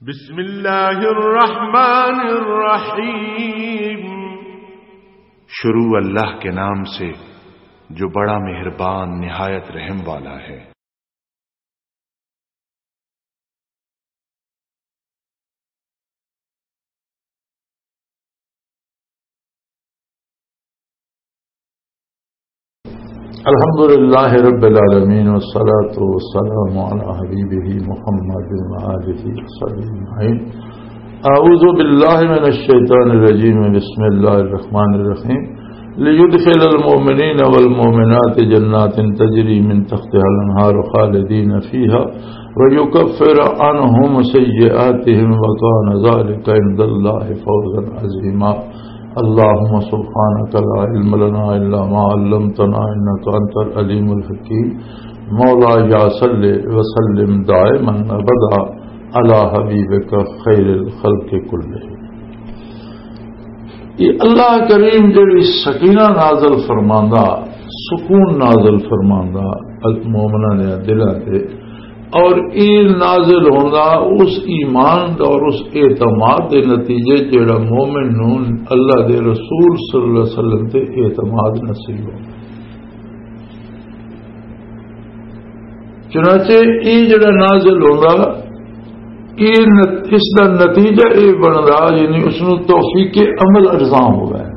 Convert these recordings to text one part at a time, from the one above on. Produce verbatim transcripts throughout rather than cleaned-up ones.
بسم اللہ الرحمن الرحیم۔ شروع اللہ کے نام سے، جو بڑا مہربان، نہایت رحم والا ہے۔ الحمد لله رب العالمين، والصلاة والسلام على حبيبه محمد وآله وصحبه أجمعين. أعوذ بالله من الشيطان الرجيم. بسم الله الرحمن الرحيم. ليدخل المؤمنين والمؤمنات جنات تجري من تحتها الأنهار خالدين فيها ويكفر عنهم سيئاتهم وكان ذلك عند الله فوزا عظيما. اللهم سبحانك لا علم لنا إلا ما علمتنا إنك أنت العليم الحكيم. مولاي صل وسلم دائما أبدا على حبيبك خير الخلق كلهم. یہ اللہ کریم جڑی سکینہ نازل فرماندا، سکون نازل فرماندا مومناں دے دلاں تے، اور یہ نازل ہوندا اس ایمان دا اور اس اعتماد دے نتیجے جڑا مومن نوں اللہ دے رسول صلی اللہ علیہ وسلم تے اعتماد نصیب ہوندا۔ چنانچہ یہ جڑا نازل ہوندا، یہ نت-، اس دا نتیجہ یہ بندا، یعنی اس نوں توفیق عمل ارزاں ہو گیا۔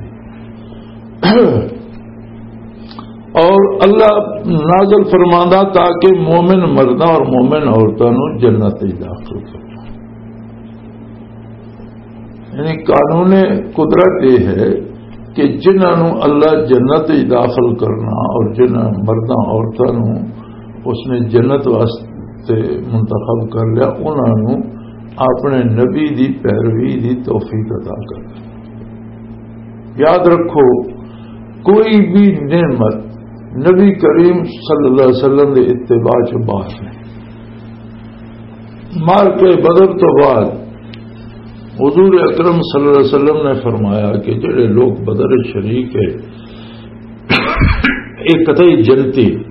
اور اللہ نازل فرماندا تاکہ مومن مرداں اور مومن عورتاں نوں جنت وچ داخل کرنا۔ یعنی قانون قدرت یہ ہے کہ جنہاں نوں اللہ جنت وچ داخل کرنا اور جنہاں مرداں عورتاں نوں اس نے جنت واسطے منتخب کر لیا، انہاں نوں اپنے نبی دی پیروی دی توفیق عطا کر۔ یاد رکھو، کوئی بھی نعمت نبی کریم صلی اللہ علیہ وسلم دے اتباع چ باہر نہیں۔ مار کے بدر تو بعد حضور اکرم صلی اللہ علیہ وسلم نے فرمایا کہ جڑے لوگ بدر شریک ہے، ایک قطعی جنتی،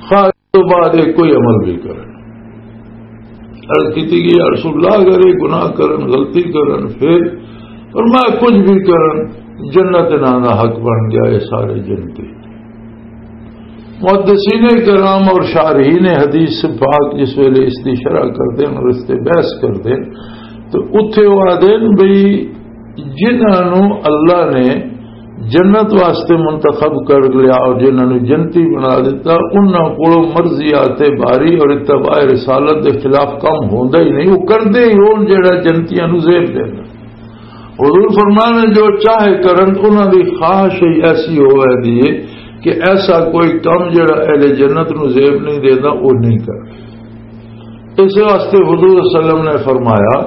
خواہ اس تو بعد یہ کوئی عمل بھی کرن۔ عرض کیتی کہ یا رسول اللہ، اگر یہ گناہ کرن، غلطی کرن، پھر؟ فرمایا کچھ بھی کرن، جنت انہاں دا حق بن گیا، یہ سارے جنتی۔ محدثین کرام اور شارحین حدیث پاک جس ویلے اس دی شرح کردے ہیں اور اس تے بحث کردے ہیں، تو اتھے وہ آدھے ہیں بھئی، جنہاں نوں اللہ نے جنت واسطے منتخب کر لیا اور جنہاں نوں جنتی بنا دیتا، انہاں کولوں مرضیات باری اور اتباع رسالت دے خلاف کم ہوندا ہی نہیں، وہ کردے ہی ہون جڑا جنتیاں نوں زیب دینا۔ حضور فرمانے جو چاہے کرن، انہاں دی خواہش ہی ایسی ہو ویندی ہے کہ ایسا کوئی کم جڑا اہل جنت نوں زیب نہیں دیندا، وہ نہیں کرنا۔ اس واسطے حضور صلی اللہ علیہ وسلم نے فرمایا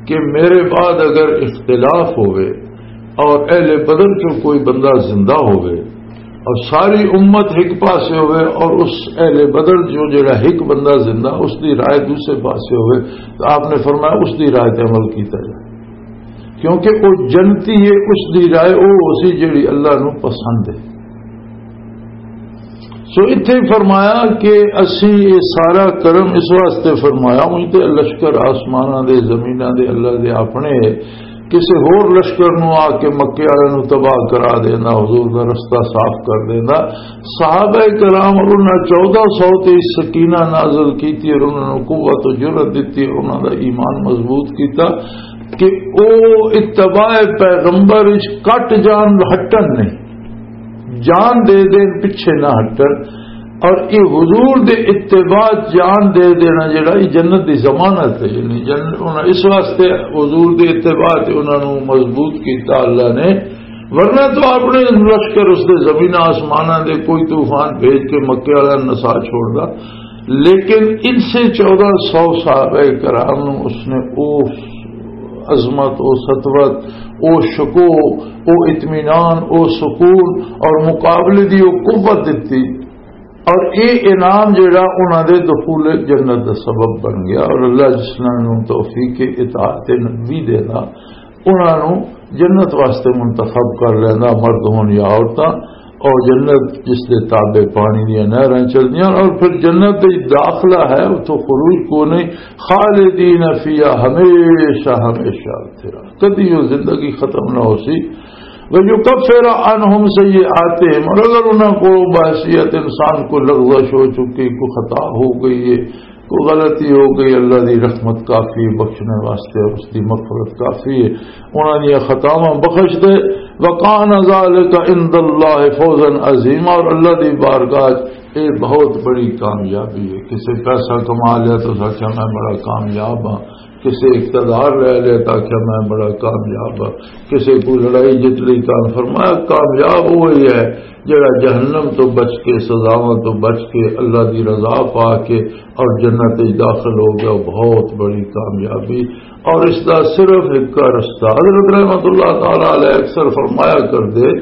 کہ میرے بعد اگر اختلاف ہوئے اور اہل بدر چوں کوئی بندہ زندہ ہوئے اور ساری امت ایک پاسے ہوئے اور اس اہل بدر جو جڑا ایک بندہ زندہ، اس دی رائے دوسرے پاسے ہوئے، تو آپ نے فرمایا اس دی رائے تے عمل کیتا جائے، کیونکہ وہ جنتی ہے، اس دی رائے وہ اسی جڑی اللہ نو پسند ہے۔ سو اتھے فرمایا کہ اسی یہ سارا کرم اس واسطے فرمایا، اُن تے لشکر آسماناں دے، زمیناں دے، اللہ دے اپنے، کسے ہور لشکر نو آ کے مکے والے نو تباہ کرا دینا، حضور دا رستہ صاف کر دینا۔ صحابہ کرام اور انہاں چودہ سو تے سکینہ نازل کیتی اور انہاں نو قوت و جرأت دتی اور انہاں دا ایمان مضبوط کیتا کہ او اتباع پیغمبر وچ کٹ جان، ہٹن نہیں۔ جان دے دین، پیچھے نہ ہٹن۔ اور یہ حضور دے اتباع جان دے دینا جڑا، یہ جنت دی ضمانت ہے۔ یعنی جن-، انہاں اس واسطے حضور دے اتباع تے انہاں نو مضبوط کیتا اللہ نے، ورنہ تو اپنے لشکر اس دے زمین آسماناں دے کوئی طوفان بھیج کے مکے والا نسا چھوڑدا۔ لیکن ان سے چودہ سو صحابہ کرام نو اس نے او عظمت، او سطوت، او شکو، او اطمینان، او سکون اور مقابلے دی او قوت دتی۔ اور اے انعام جڑا انہاں دے دخول جنت دا سبب بن گیا، اور اللہ جس نال نوں توفیق اطاعت نبی دے دا، انہاں نوں جنت واسطے منتخب کر لیندا، مرد ہون یا عورتاں۔ اور جنت جس دے تابع پانی دیاں نہراں چلدیاں، اور پھر جنت دے داخلہ ہے، اتھوں خروج کو نہیں، خالدین فیہا، ہمیشہ ہمیشہ اتھے رہنا، کدی وہ زندگی ختم نہ ہو سی۔ وَيُكَفِّرَ عَنْهُمْ سَيِّئَاتِهِمْ، اور اگر انہاں کو بحیثیت انسان کو لغزش ہو چکی، کوئی خطا ہو گئی ہے، کوئی غلطی ہو گئی، اللہ دی رحمت کافی ہے بخشنے واسطے، اور اس دی مغفرت کافی ہے، انہاں دی خطاواں بخش دے۔ وَكَانَ ذَلِكَ عِنْدَ اللَّهِ فَوْزًا عَظِيمًا، اور اللہ دی بارگاہ اے بہت بڑی کامیابی ہے۔ کسے پیسہ کما لیا تو آکھیا میں بڑا کامیاب ہاں، کسے اقتدار لے لیا تو آکھیا میں بڑا کامیاب ہاں، کسے کوئی لڑائی جت لی تو فرمایا کامیاب وہی ہے جڑا جہنم تو بچ کے، سزاواں تو بچ کے، اللہ دی رضا پا کے اور جنت وچ داخل ہو گیا، بہت بڑی کامیابی۔ اور اس دا صرف ایک رستہ، حضرت رحمت اللہ تعالی علیہ اکثر فرمایا کر دے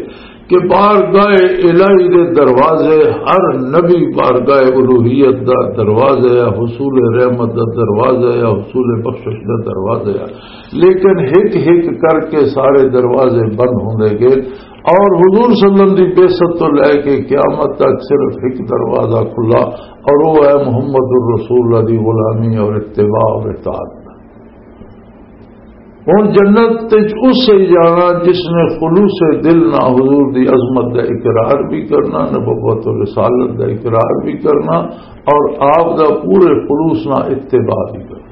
کہ بارگاہ الہی دے دروازے، ہر نبی بارگاہ الوہیت دا دروازہ ہے، حصول رحمت دا دروازہ ہے، حصول بخشش دا دروازہ ہے، لیکن ہک ہک کر کے سارے دروازے بند ہوندے گئے۔ اور حضور صلی اللہ علیہ وسلم دی بعثت تو لے کے قیامت تک صرف ایک دروازہ کھلا، اور وہ ہے محمد الرسول اللہ دی غلامی اور اتباع اور اطاعت۔ ہن جنت وچ اس ہی جانا جس نے خلوص دل نہ حضور دی عظمت دا اقرار بھی کرنا، نبوت و رسالت دا اقرار بھی کرنا، اور آپ دا پورے خلوص نہ اتباع بھی کرنا۔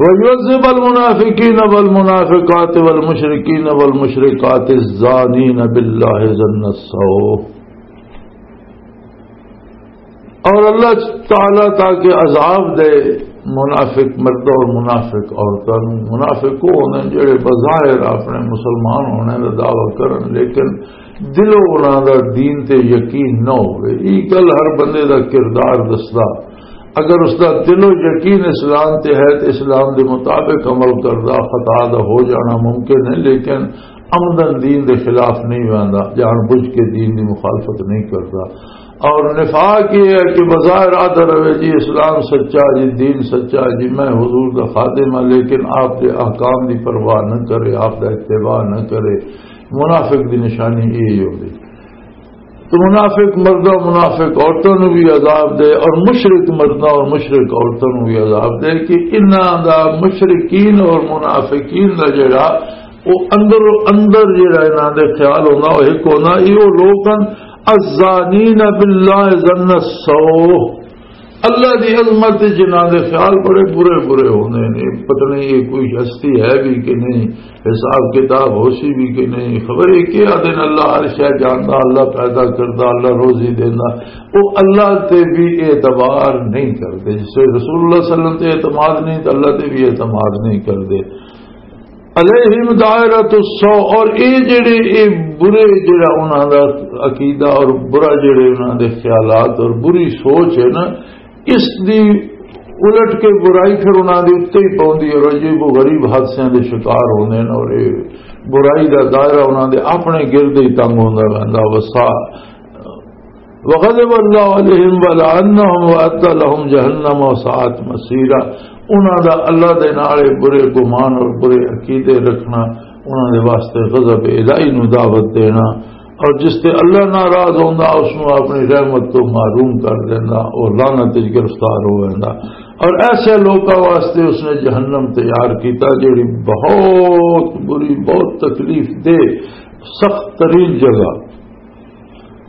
وَيُعَذِّبَ الْمُنَافِقِينَ وَالْمُنَافِقَاتِ وَالْمُشْرِكِينَ وَالْمُشْرِكَاتِ الزَّانِينَ بِاللَّهِ ظَنَّ السَّوْءِ۔ اور اللہ تعالیٰ تاکہ عذاب دے منافق مردوں اور منافق عورتوں نوں۔ منافق وہ ہوندے جڑے بظاہر اپنے مسلمان ہونے دا دعویٰ کرن، لیکن دلوں انہاں دا دین تے یقین نہ ہوئے۔ یہ گل ہر بندے دا کردار دسدا۔ اگر اس دا دلوں یقین اسلام تے ہے تے اسلام دے مطابق عمل کردا، خطا دا ہو جانا ممکن ہے، لیکن عمدن دین دے خلاف نہیں ویندا، جان بوجھ کے دین دی مخالفت نہیں کردا۔ اور نفاق یہ ہے کہ بظاہر آدھا رہے جی اسلام سچا، جی دین سچا، جی میں حضور دا خادم ہاں، لیکن آپ دے احکام دی پرواہ نہ کرے، آپ دا اتباع نہ کرے۔ منافق دی نشانی یہی ہوندی۔ تو منافق مردوں، منافق عورتوں نوں بھی عذاب دے، اور مشرک مردوں اور مشرک عورتوں نوں بھی عذاب دے کہ انہاں دا، مشرکین اور منافقین دا جڑا، وہ اندر، اندر جڑا انہاں دے خیال ہونا، وہ ایک ہونا، یہ وہ لوگ ہیں، الزانین باللہ ظن السوء، اللہ دی عظمت تے جنہاں دے خیال بڑے برے برے ہوندے نے، پتہ نہیں یہ کوئی ہستی ہے بھی کہ نہیں، حساب کتاب ہو سی بھی کہ نہیں، خبر ہے کیا دن اللہ ہر شے جاندا، اللہ پیدا کردا، اللہ روزی دیندا، وہ اللہ تے بھی اعتبار نہیں کردے۔ جس طرح رسول اللہ صلی اللہ علیہ وسلم تے اعتماد نہیں تو اللہ تے بھی اعتماد نہیں کردے۔ علیہم دائرۃ السوء، اور اے جڑے، اے برے جڑا انہاں دا عقیدہ اور برا جڑے انہاں دے خیالات اور بری سوچ ہے نا، اس دی الٹ کے برائی پھر انہاں دے اُتے ہی پوندی ہے، اور عجیب و غریب حادثیاں دے شکار ہوندے نے، اور اے برائی دا دائرہ انہاں دے اپنے گرد ہی تنگ ہوندا رہندا۔ وسا وغضب اللہ علیہم ولعنہم وأعد لہم جہنم وساءت مصیرا۔ انہاں دا اللہ دے نال اے برے گمان اور برے عقیدے رکھنا، انہاں دے واسطے غضب الہی نو دعوت دینا، اور جس تے اللہ ناراض ہوندا، اس نو اپنی رحمت تو محروم کر دیندا، اور لعنت وچ گرفتار ہو ویندا۔ اور ایسے لوکاں واسطے اس نے جہنم تیار کیتا، جڑی بہت بری، بہت تکلیف دہ، سخت ترین جگہ۔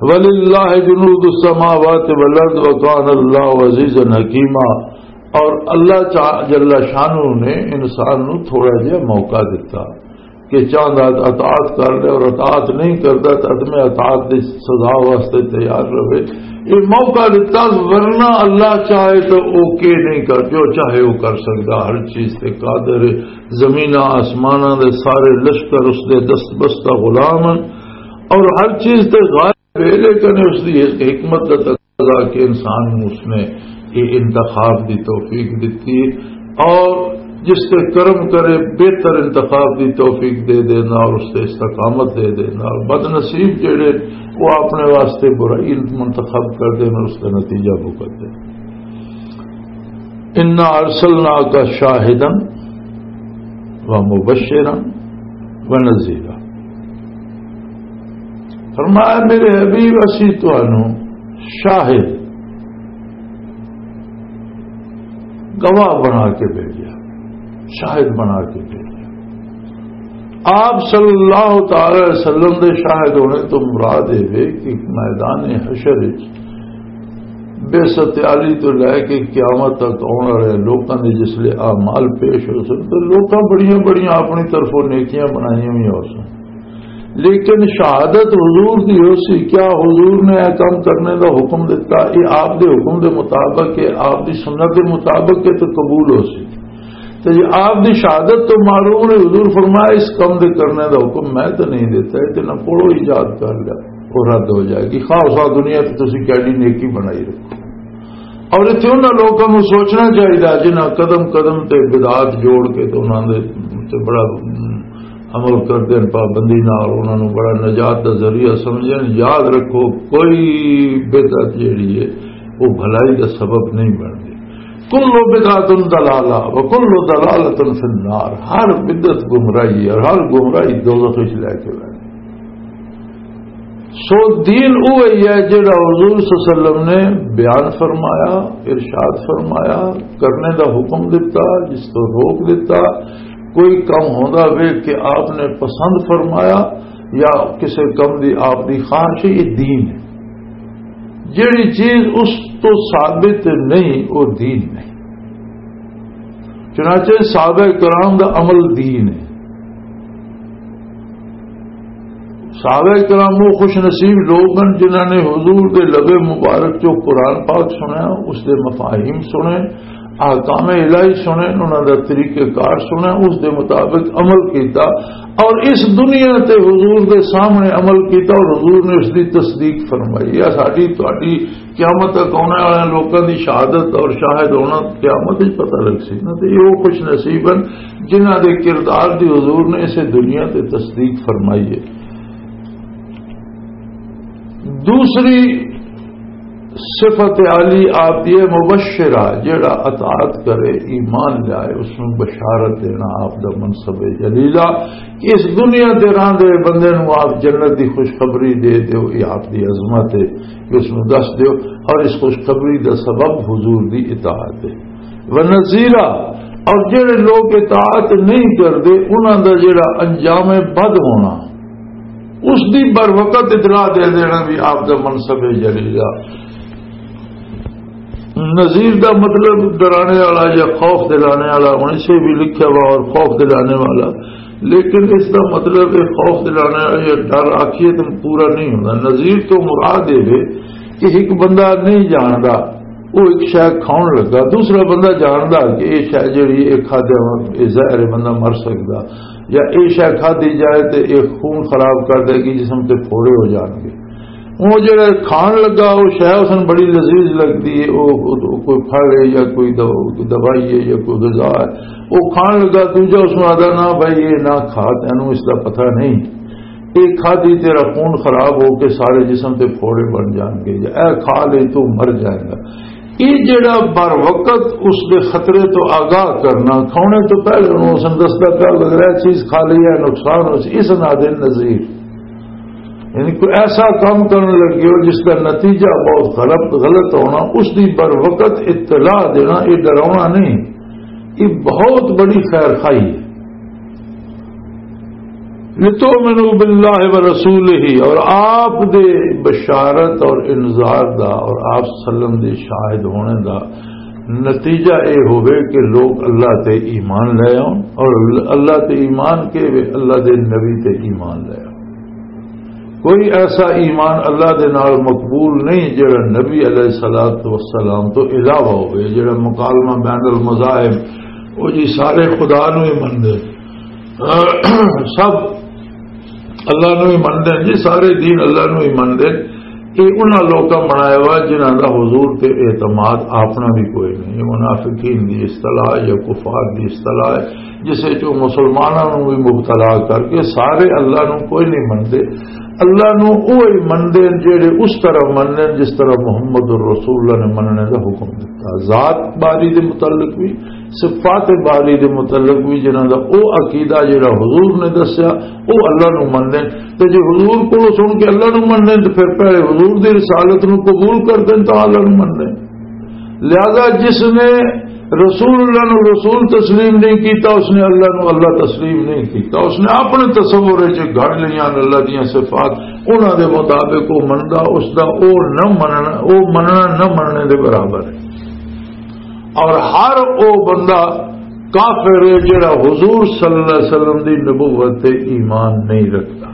وَلِلَّهِ جُنُودُ السَّمَاوَاتِ وَالْأَرْضِ وَكَانَ اللَّهُ عَزِيزًا حَكِيمًا۔ اور اللہ چا-، جل شانہ نے انسان نو تھوڑا جہا موقع دتا کہ چاہندا اطاعت کر لے، اور اطاعت نہیں کردا تو عدم اطاعت دی سزا واسطے تیار رہے۔ یہ موقع دتا، ورنہ اللہ چاہے تو او کے نہیں کر، جو چاہے وہ کر سکدا، ہر چیز تے قادر ہے۔ زمیناں آسماناں دے سارے لشکر اس دے دست بستہ غلام ہیں، اور ہر چیز تے غالب ہے، لیکن اس دی ایک حکمت دا تقاضا کہ انسان نوں اس نے یہ انتخاب دی توفیق دتی ہے، اور جس تے کرم کرے بہتر انتخاب دی توفیق دے دینا اور اس تے استقامت دے دینا، اور بد نصیب جڑے وہ اپنے واسطے برائی منتخب کر دینا، اس کا نتیجہ بھگت دے۔ انا ارسلناک شاہدا و مبشرا و نذیرا۔ فرمایا، میرے حبیب، اسی تانوں شاہد، گواہ بنا کے بھیجا، شاہد بنا کے بھیجا۔ آپ صلی اللہ تعالی علیہ وسلم دے شاہد ہونے تو مراد یہ وے کہ میدان حشر وچ بے ستیالی تو لے کے قیامت تک آنے والے لوکاں دے جس لے اعمال پیش ہو سن، تو لوکاں بڑیاں بڑیاں اپنی طرفوں نیکیاں بنائیاں ہوئی ہو سن، لیکن شہادت حضور دی ہو سی۔ کیا حضور نے یہ کام کرنے دا حکم دیتا؟ یہ آپ دے حکم دے مطابق ہے، آپ دی سنت دے مطابق ہے، تو قبول ہو سی۔ تے جے آپ دی شہادت تو معروم نے، حضور فرمایا، اس کام دے کرنے دا حکم میں تو نہیں دیتا، یہ تے نہ پڑھو، ایجاد کر لیا، وہ رد ہو جائے گی۔ خواہ خواہ دنیا تے تسی کیڈی نیکی بنائی رکھو۔ اور اتنے انہاں لوگوں کو سوچنا چاہیے جنہاں قدم قدم تے بدعات جوڑ کے تے انہاں دے تے بڑا عمل کردے ہیں پابندی نال، انہاں نوں بڑا نجات دا ذریعہ سمجھن۔ یاد رکھو، کوئی بدعت جیڑی ہے، وہ بھلائی دا سبب نہیں بنتی۔ کل بدعت دلالہ و کل دلالت فی النار۔ ہر بدعت گمراہی ہے اور ہر گمراہی دوزخ وچ لے کے جائے۔ سو دین وہی ہے جڑا حضور صلی اللہ علیہ وسلم نے بیان فرمایا، ارشاد فرمایا، کرنے دا حکم دیتا، جس تو روک دیتا۔ کوئی کم ہوندا وے کہ آپ نے پسند فرمایا یا کسے کم دی آپ دی خواہش ہے، یہ دین ہے۔ جڑی چیز اس تو ثابت نہیں، وہ دین نہیں۔ چنانچہ صحابہ کرام دا عمل دین ہے۔ صحابہ کرام وہ خوش نصیب لوگ ہیں جنہاں نے حضور دے لبے مبارک چو قرآن پاک سنیا، اس دے مفاہیم سنے، احکام الہی سنے، انہاں دا طریقہ کار سنے، اس دے مطابق عمل کیتا اور اس دنیا تے حضور دے سامنے عمل کیتا اور حضور نے اس دی تصدیق فرمائی۔ یہ ساڈی تہاڈی قیامت تک آنے والے لوکاں دی شہادت اور شاہد ہونا قیامت وچ پتہ لگ سی نا۔ تے یہ وہ خوش نصیب ہیں جنہاں دے کردار دی حضور نے اسے دنیا تے تصدیق فرمائی ہے۔ دوسری صفت عالی آپ دی ہے مبشرہ، جڑا اطاعت کرے، ایمان لائے، اس نوں بشارت دینا آپ دا منصب ہے جلیلہ۔ اس دنیا تے راندے بندے نوں آپ جنت دی خوشخبری دے دیو، یہ آپ دی عظمت ہے کہ اس نوں دس دیو، اور اس خوشخبری دا سبب حضور دی اطاعت ہے۔ ونذیرہ، اور جڑے لوگ اطاعت نہیں کردے، انہاں دا جڑا انجام بد ہونا، اس دی بر وقت اطلاع دے دینا بھی آپ دا منصب ہے جلیلہ۔ نذیر دا مطلب ڈرانے والا یا خوف دلانے والا، ہن اسے بھی لکھیا ہوا اور خوف دلانے والا، لیکن اس دا مطلب یہ خوف دلانے والا یا ڈر آکھیے تو پورا نہیں ہوندا۔ نذیر تو مراد یہ ہے کہ ایک بندہ نہیں جاندا، وہ ایک شے کھاؤن لگا، دوسرا بندہ جاندا کہ یہ شے جڑی یہ کھادے یہ زہر ہے، بندہ مر سکدا، یا یہ شے کھادی جائے تو یہ خون خراب کر دے گی، جسم تے پھوڑے ہو جان گے۔ وہ جڑا کھان لگا، وہ شے اس نوں بڑی لذیذ لگدی ہے، وہ، وہ، وہ کوئی پھل ہے یا کوئی دو-، دوائی ہے یا کوئی غذا ہے، وہ کھان لگا، دوجا اس نوں آدا، "نہ بھائی، یہ نہ کھا، تینوں اس دا پتہ نہیں، یہ کھادی تیرا خون خراب ہو کے سارے جسم تے پھوڑے بن جان گے، یا اے کھا لے تو مر جائے گا۔" یہ جڑا بر وقت اس دے خطرے تو آگاہ کرنا، کھانے تو پہلے انہوں اس نوں دسدا پیا، اگر یہ چیز کھا لی ہے نقصان ہو سی، اس نادے نذیر۔ یعنی کوئی ایسا کام کرنے لگے ہو جس کا نتیجہ بہت غلط، غلط ہونا، اس دی بر وقت اطلاع دینا، یہ ڈراونا نہیں، یہ بہت بڑی خیر خواہی ہے۔ لتؤمنوا باللہ ورسولہ، اور آپ دے بشارت اور انذار دا اور آپ صلی اللہ علیہ وسلم دے شاہد ہونے دا نتیجہ اے ہوئے کہ لوگ اللہ تے ایمان لے آؤن اور اللہ تے ایمان کے وے اللہ دے نبی تے ایمان لے آؤن۔ کوئی ایسا ایمان اللہ دے نال مقبول نہیں جڑا نبی علیہ الصلوۃ والسلام تو علاوہ ہوئے، جڑا مکالمہ بین المذاہب، وہ جی سارے خدا نو ہی مندے، سب اللہ نو ہی مندے ہیں جی، سارے دین اللہ نو ہی مندے ہیں۔ یہ انہاں لوکاں بنایا ہوا جنہاں دا حضور تے اعتماد اپنا بھی کوئی نہیں۔ یہ منافقین دی اصطلاح یا کفار دی اصطلاح ہے، جس وچ وہ مسلماناں نو بھی مبتلا کر کے سارے اللہ نو کوئی نہیں مندے۔ اللہ نو اوہی مندے نے جڑے اس طرح مندے نے جس طرح محمد الرسول اللہ نے مننے دا حکم دتا۔ ذات باری دے متعلق بھی، صفات باری دے متعلق بھی، جنہاں دا او عقیدہ جڑا حضور نے دسیا، او اللہ نو مندے نے۔ تے جے حضور کو سن کے اللہ نو مندے نے، تے پھر پہلے حضور دی رسالت نو قبول کر دین تاں اللہ نو مندے نے۔ لہذا جس نے رسول اللہ نو رسول تسلیم نہیں کیتا، اس نے اللہ نو اللہ تسلیم نہیں کیتا۔ اس نے اپنے تصور وچ گھڑ لیاں اللہ دیاں صفات، انہاں دے مطابق وہ مندا، اس دا او نہ مننا، او مننا نہ مننے دے برابر ہے۔ اور ہر او بندہ کافر ہے جڑا حضور صلی اللہ علیہ وسلم دی نبوت تے ایمان نہیں رکھتا۔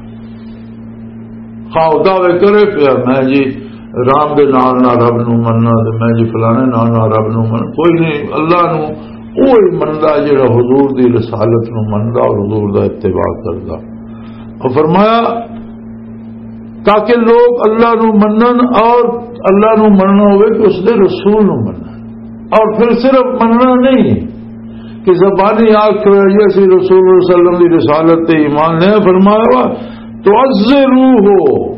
خواہ او دعوے کرے پیا، میں جی رام دے نال نال رب نو مننا، تے میں جی فلانے نال نال رب نو من، کوئی نہیں، اللہ نو اوہی مندا جڑا حضور دی رسالت نو مندا اور حضور دا اتباع کردا۔ اور فرمایا، تاکہ لوگ اللہ نو منن، اور اللہ نو مننا ہوئے کہ اس دے رسول نو منن، اور پھر صرف مننا نہیں کہ زبانی آکھ کے یہ سی رسول اللہ صلی اللہ علیہ وسلم دی رسالت تے ایمان لے۔ فرمایا، تو عزرو ہو،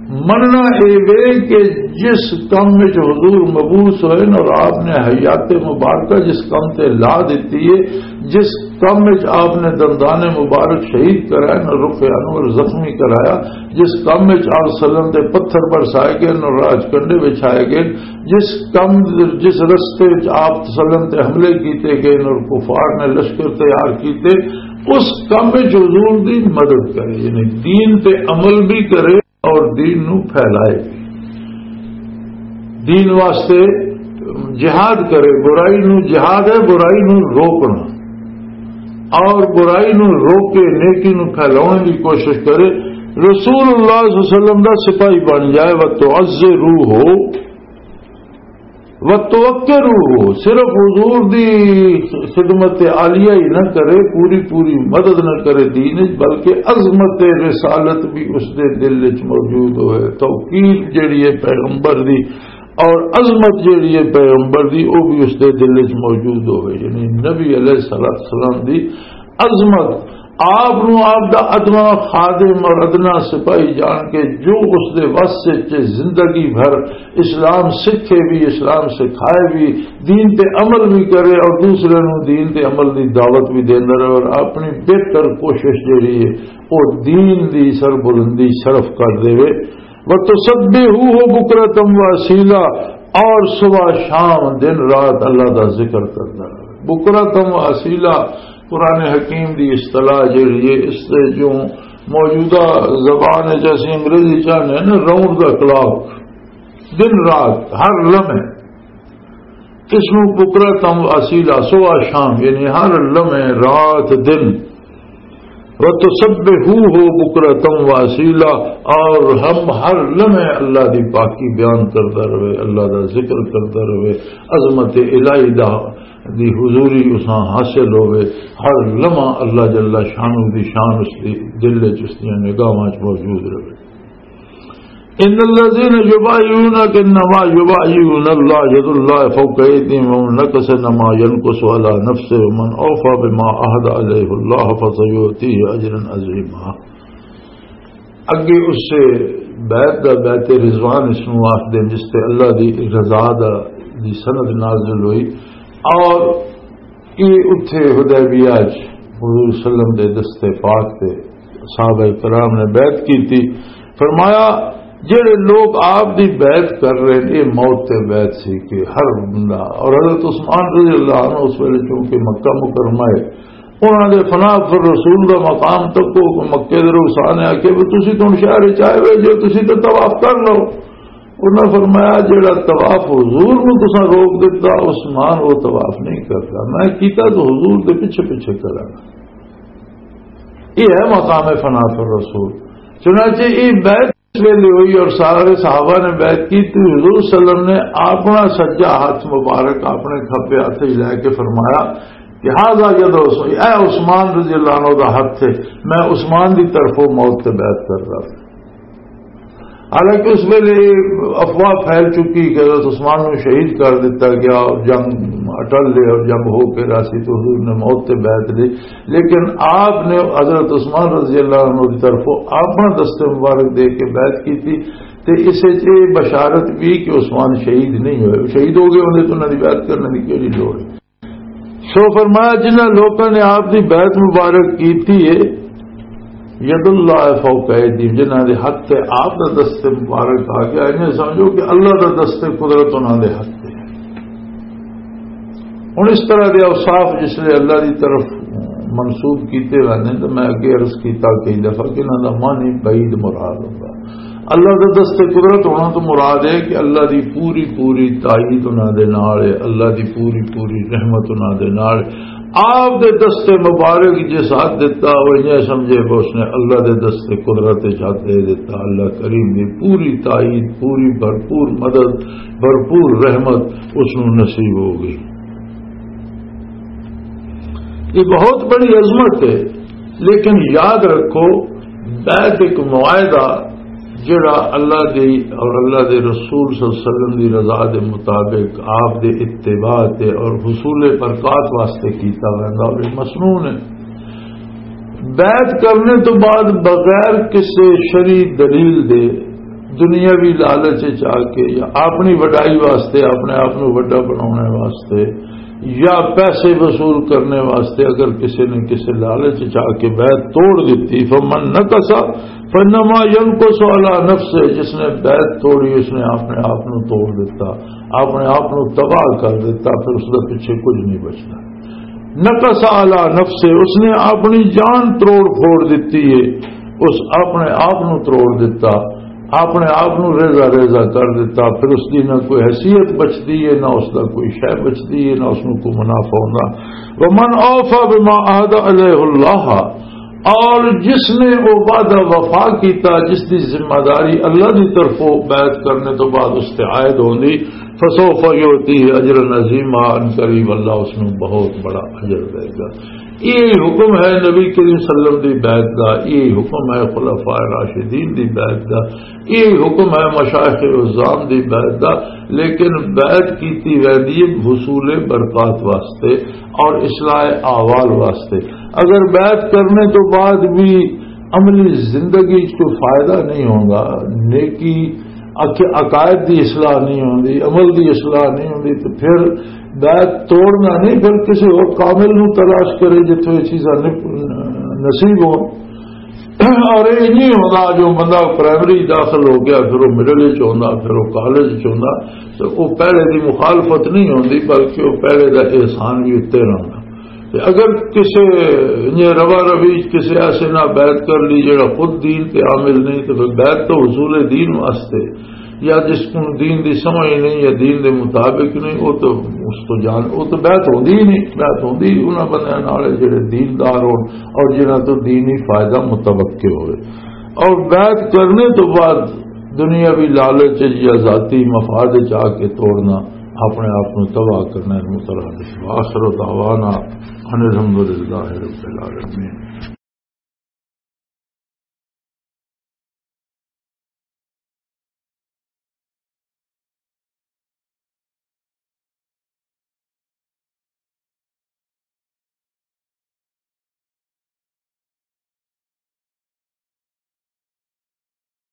مننا اے وے کہ جس کم وچ حضور مبعوث ہوئے نا اور آپ نے حیات مبارکہ جس کم تے لا دیتی ہے، جس کم وچ آپ نے دندان مبارک شہید کرایا نا، رخ انور زخمی کرایا، جس کم وچ آپ سلم تے پتھر برسائے گئے نا، راج کنڈے وچھائے گئے، جس کم، جس رستے وچ آپ سلم تے حملے کیتے گئے نا اور کفار نے لشکر تیار کیتے، اس کم وچ حضور دی مدد کرے، یعنی دین تے عمل بھی کرے اور دین نو پھیلائے۔ دین واسطے جہاد کرے، برائی نو، جہاد ہے برائی نو روکنا، اور برائی نو روک کے نیکی نو پھیلانے کی کوشش کرے۔ رسول اللہ صلی اللہ علیہ وسلم دا سپاہی بن جائے، وَتُعَزِّرُوهُ، وَتُوَقِّرُوهُ، صرف حضور دی خدمت عالیہ ہی نہ کرے، پوری پوری مدد نہ کرے دین وچ، بلکہ عظمت رسالت بھی اس دے دل وچ موجود ہوئے، توقیر جڑی ہے پیغمبر دی اور عظمت جڑی ہے پیغمبر دی، وہ بھی اس دے دل وچ موجود ہوئے۔ یعنی نبی علیہ الصلوۃ والسلام دی عظمت، آپ نو آپ دا ادنا خادم اور ادنا سپاہی جان کے جو اس دے وس وچ زندگی بھر اسلام سکھے بھی، اسلام سکھائے بھی، دین تے عمل بھی کرے اور دوسرے نو دین تے عمل دی دعوت بھی دیندا رہے اور اپنی بہتر کوشش جڑی ہے، او دین دی سربلندی شرف کر دے۔ وَتُسَبِّحُوهُ بُكْرَةً وَأَصِيلًا، اور صبح شام دن رات اللہ دا ذکر کردا رہے۔ بکرتم و اصیلا، قرآن حکیم دی اصطلاح جڑی ہے، اس سے جو موجودہ زبان ہے، جیسے انگریزی چاہنے ہیں نا، راؤنڈ دا کلاک، دن رات، ہر لمحے، اس نو بکرتم و اصیلا، صبح شام، یعنی ہر لمحے، رات دن، وَتُسَبِّحُوهُ بُكْرَةً وَأَصِيلًا، اور ہم ہر لمحے اللہ دی پاکی بیان کردا رہے، اللہ دا ذکر کردا رہے، عظمت الہی دا دی حضوری اساں حاصل ہوے، ہر لمحہ اللہ جل شانہ دی شان اس دی دل وچ، اس دیاں نگاہاں وچ موجود رہے۔ ان الذين يبايعونك انما يبايعون الله يد الله فوق ايديهم ومن نكث انما ينكث على نفسه ومن اوفى بما عهد عليه الله فسيؤتيه اجرا عظيما۔ اگے اس سے بیعت دا، بیعت رضوان اس نو آخدے جس تے اللہ دی رضا دا، دی سند نازل ہوئی، اور یہ اتھے حدیبیہ چ حضور صلی اللہ علیہ وسلم دے دستے پاک تے صحابہ کرام نے بیعت کیتی۔ فرمایا، جڑے لوگ آپ دی بیعت کر رہے ہیں، یہ موت تے بیعت سی کہ ہر بندہ، اور حضرت عثمان رضی اللہ عنہ اس ویلے چونکہ مکہ مکرمہ ہے، انہاں دے فنا پر رسول دا مقام تک کو مکے دے رخصان آ کے، "بھی تسی تو شہر چ آئے ہوئے جو، تسی تو طواف کر لو۔" انہاں فرمایا، "جڑا طواف حضور نو تساں روک دتا، عثمان وہ طواف نہیں کرتا، میں کیتا تو حضور دے پیچھے پیچھے کراں۔" یہ ہے مقام فنا پر رسول۔ چنانچہ یہ بیعت اس ویلے ہوئی اور سارے صحابہ نے بیعت کی تو حضور صلی اللہ علیہ وسلم نے اپنا سجا ہاتھ مبارک اپنے کھبے ہاتھ وچ لے کے فرمایا کہ "ھذا ید عثمان"، اے عثمان رضی اللہ عنہ دا ہاتھ ہے، میں عثمان دی طرفوں موت تے بیعت کر رہا ہوں۔ حالانکہ اس ویلے افواہ پھیل چکی کہ حضرت عثمان نوں شہید کر دتا گیا، جنگ اٹل لے اور جنگ ہو کے راسی تو حضور نے موت تے بیعت لئی۔ لیکن آپ نے حضرت عثمان رضی اللہ عنہ کی طرفوں اپنا دست مبارک دے کے بیعت کی تھی۔ تے اس وچ یہ بشارت بھی کہ عثمان شہید نہیں ہوئے، شہید ہو گئے ہوندے تو انہاں دی بیعت کرنے دی کیڑی لوڑ ہے؟ سو فرمایا، جنہاں لوکاں نے آپ دی بیعت مبارک کیتی ہے، ید اللہ فوق ایدیہم، جنہاں دے ہاتھ تے آپ دا دست مبارک آ گیا، انہیں سمجھو کہ اللہ دا دست قدرت انہاں دے ہاتھ تے ہے۔ ہن اس طرح دے اوصاف جس لے اللہ دی طرف منسوب کیتے ویندے نے، تو میں اگے عرض کیتا کئی دفعہ کہ انہاں دا معنی بعید مراد ہوندا۔ اللہ دا دست قدرت ہونا تو مراد ہے کہ اللہ دی پوری پوری تائید انہاں دے نال ہے، اللہ دی پوری پوری رحمت انہاں دے نال ہے۔ آپ دے دست مبارک جس ہاتھ دتا، وہ یہ سمجھے کہ اس نے اللہ دے دست قدرت وچ ہاتھ دے دتا، اللہ کریم دی پوری تائید، پوری بھرپور مدد، بھرپور رحمت اس نوں نصیب ہو گئی۔ یہ بہت بڑی عظمت ہے، لیکن یاد رکھو، بیعت ایک معاہدہ جڑا اللہ دی اور اللہ دے رسول صلی اللہ علیہ وسلم دی رضا دے مطابق، آپ دے اتباع تے اور حصول برکات واسطے کیتا ویندا، اور یہ مسنون ہے۔ بیعت کرنے تو بعد بغیر کسی شرعی دلیل دے دنیاوی لالچ وچ آ کے یا اپنی وڈائی واسطے، اپنے آپ نوں وڈا بنانے واسطے یا پیسے وصول کرنے واسطے اگر کسی نے کسی لالچ وچ آ کے بیعت توڑ دتی، فمن نقص فانما ينقص على نفسه، جس نے بیعت توڑی اس نے اپنے آپ نوں توڑ دتا، اپنے آپ نوں تباہ کر دتا، پھر اس دے پیچھے کچھ نہیں بچتا۔ نقص على نفسه، اس نے اپنی جان تروڑ پھوڑ دتی ہے، اس اپنے آپ نوں تروڑ دتا، اپنے آپ نوں ریزہ ریزہ کر دتا، پھر اس دی نہ کوئی حیثیت بچدی ہے، نہ اس دا کوئی شے بچدی ہے، نہ اس نوں کوئی منافع ہوندا۔ ومن اوفى بما عهد عليه الله، اور جس نے وہ وعدہ وفا کیتا، جس دی ذمہ داری اللہ دی طرفوں بیعت کرنے تو بعد اس تے عائد ہوندی، فسوف يؤتيه اجرا عظيما، ان قریب اللہ اس نوں بہت بڑا اجر دے گا۔ یہ حکم ہے نبی کریم صلی اللہ علیہ وسلم دی بیعت دا، یہ حکم ہے خلفاء راشدین دی بیعت دا، یہ حکم ہے مشائخ عظام دی بیعت دا۔ لیکن بیعت کیتی ویندی ہے حصول برکات واسطے اور اصلاح احوال واسطے۔ اگر بیعت کرنے تو بعد بھی عملی زندگی وچ کوئی فائدہ نہیں ہوندا، نیکی، عق-، عقائد دی اصلاح نہیں ہوندی، عمل دی اصلاح نہیں ہوندی، تو پھر بیعت توڑنا نہیں، پھر کسی اور کامل نوں تلاش کرے جتھوں یہ چیزاں نپ-، نصیب ہون۔ اور یہ نہیں ہوتا جو بندہ پرائمری داخل ہو گیا، پھر وہ مڈل وچ ہوندا، پھر وہ کالج وچ ہوندا، تو وہ پہلے دی مخالفت نہیں ہوندی، بلکہ وہ پہلے دا احسان بھی اتنے رہنا۔ تے اگر کسے نے روا روی کسے ایسے نہ بیعت کر لی جڑا خود دین تے عامل نہیں، تو پھر بیعت تو حصول دین واسطے، یا جس کو دین دی سمجھ نہیں یا دین دے مطابق نہیں، وہ تو، اس تو جان، وہ تو بیعت ہوندی ہی نہیں۔ بیعت ہوندی انہاں بندیاں نال جڑے دیندار ہون اور جنہاں تو دینی فائدہ متوقع ہوئے۔ اور بیعت کرنے تو بعد دنیاوی لالچ یا ذاتی مفاد چ آ کے توڑنا، اپنے آپ کو تباہ کرنا، اس مترادف۔ وآخر دعوانا ان الحمد للہ رب العالمین۔